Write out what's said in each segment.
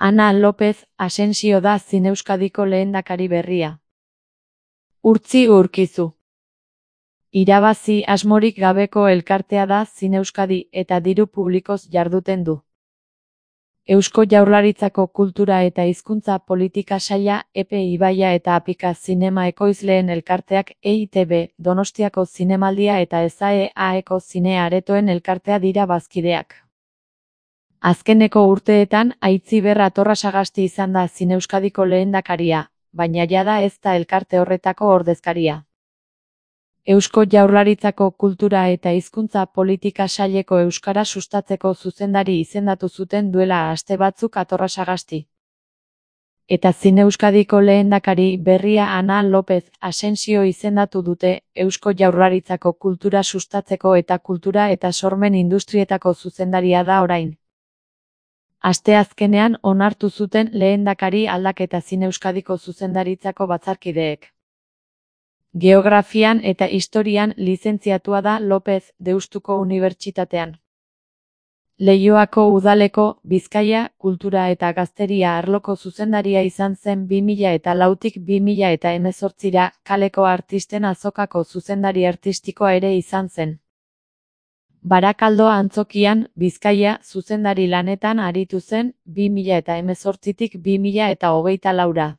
Ana López Asensio da Zineuskadiko lehendakari berria. Urtzi Urkizu. Irabazi asmorik gabeko elkartea da Zineuskadi eta diru publikoz jarduten du. Eusko Jaurlaritzako Kultura eta Hizkuntza Politika Saila, Epe Ibaia eta Apika Zinema Ekoizleen elkarteak, EITB, Donostiako Zinemaldia eta ESAE-AEko Zine Aretoen elkartea dira bazkideak. Azkeneko urteetan Aitziber Atorrasagasti izan da Zineuskadiko lehendakaria, baina jada ez da elkarte horretako ordezkaria. Eusko Jaurlaritzako Kultura eta Hizkuntza Politika Saileko euskara sustatzeko zuzendari izendatu zuten duela aste batzuk Atorrasagasti. Eta Zineuskadiko lehendakari berria Ana López Asensio izendatu dute Eusko Jaurlaritzako kultura sustatzeko eta kultura eta sormen industrietako zuzendaria da orain. Asteazkenean onartu zuten lehendakari aldaketa Zineuskadiko zuzendaritzako batzarkideek. Geografian eta historian lizentziatua da López Deustuko Unibertsitatean. Leioako udaleko Bizkaia, kultura eta gazteria arloko zuzendaria izan zen 2004tik 2018ra, kaleko artisten azokako zuzendari artistikoa ere izan zen. Barakaldo Antzokian, Bizkaia, zuzendari lanetan aritu zen 2018tik 2024ra.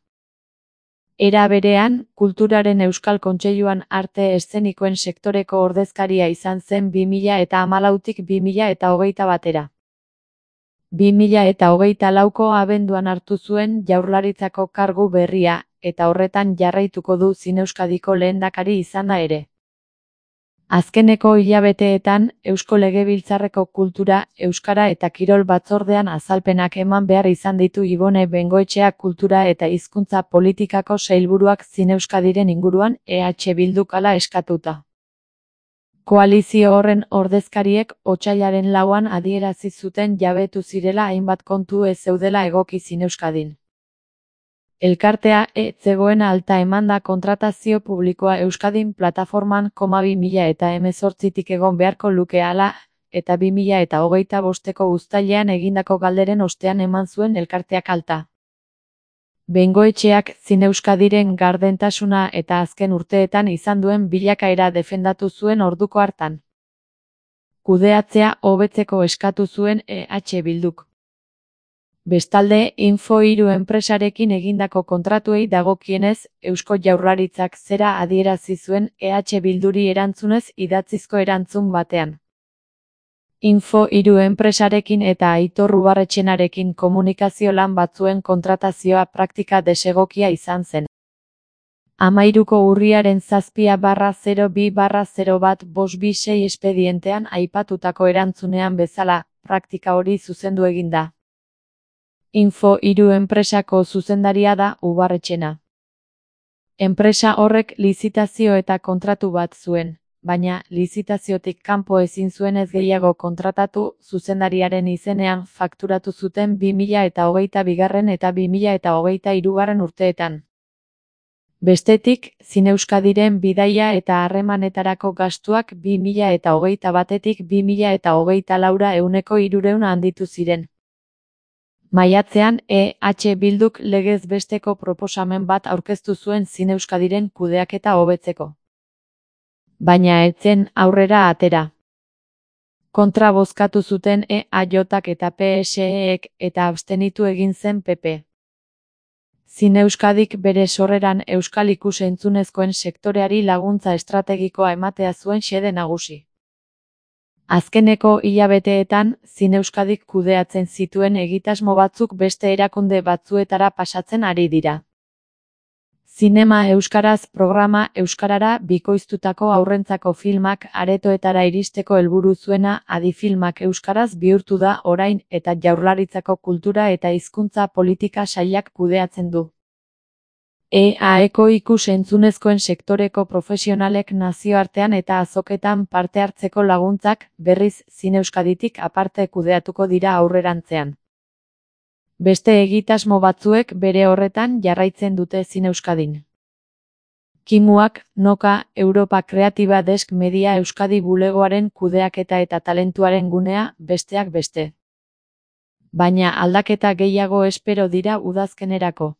Era berean, Kulturaren Euskal Kontseiluan arte eszenikoen sektoreko ordezkaria izan zen 2014tik 2021era. 2024ko abenduan hartu zuen Jaurlaritzako kargu berria, eta horretan jarraituko du Zineuskadiko lehendakari izana ere. Azkeneko hilabeteetan, Eusko Legebiltzarreko Kultura, Euskara eta Kirol batzordean azalpenak eman behar izan ditu Ibone Bengoetxea Kultura eta Hizkuntza Politikako sailburuak Zineuskadiren inguruan EH Bilduk hala eskatuta. Koalizio horren ordezkariek otsailaren 4an adierazi zuten jabetu zirela hainbat kontu ez zeudela egoki Zineuskadin. Elkartea zegoen alta emanda kontratazio publikoa Euskadin plataforman 2018tik egon beharko luke hala, eta 2025ko uztailean egindako galderen ostean eman zuen elkarteak alta. Bengoetxeak Zineuskadiren gardentasuna eta azken urteetan izan duen bilakaera defendatu zuen orduko hartan. Kudeatzea hobetzeko eskatu zuen EH Bilduk. Bestalde, Info3 enpresarekin egindako kontratuei dagokienez, Eusko Jaurlaritzak zera adierazi zuen EH Bilduri erantzunez idatzizko erantzun batean. Info3 enpresarekin eta Aitor Ubarretxenarekin komunikazio lan batzuen kontratazioa praktika desegokia izan zen. 13ko urriaren 7/02/01/526 espedientean aipatutako erantzunean bezala, praktika hori zuzendu eginda. Info3 enpresako zuzendaria da Ubarretxena. Enpresa horrek lizitazio eta kontratu bat zuen, baina lizitaziotik kanpo ezin zuenez gehiago kontratatu, zuzendariaren izenean fakturatu zuten 2022 eta 2023 urteetan. Bestetik, Zineuskadiren bidaia eta harremanetarako gastuak 2021tik 2024ra 300% handitu ziren. Maiatzean, EH Bilduk legez besteko proposamen bat aurkeztu zuen Zineuskadiren kudeaketa hobetzeko. Baina ez zen aurrera atera. Kontra bozkatu zuten EAJak eta PSEek eta abstenitu egin zen PP. Zineuskadik bere sorreran euskal ikus-entzunezkoen sektoreari laguntza estrategikoa ematea zuen xede nagusi. Azkeneko hilabeteetan, Zineuskadik kudeatzen zituen egitasmo batzuk beste erakunde batzuetara pasatzen ari dira. Zinema euskaraz programa euskarara bikoiztutako haurrentzako filmak aretoetara iristeko helburu zuena Adifilmak euskaraz bihurtu da orain eta Jaurlaritzako Kultura eta Hizkuntza Politika Sailak kudeatzen du. EAEko ikus-entzunezkoen sektoreko profesionalek nazioartean eta azoketan parte hartzeko laguntzak, berriz Zineuskaditik aparte kudeatuko dira aurrerantzean. Beste egitasmo batzuek bere horretan jarraitzen dute Zineuskadin. Kimuak, Noka, Europa Kreatiba Desk Media Euskadi bulegoaren kudeaketa eta talentuaren gunea, besteak beste. baina aldaketa gehiago espero dira udazkenerako.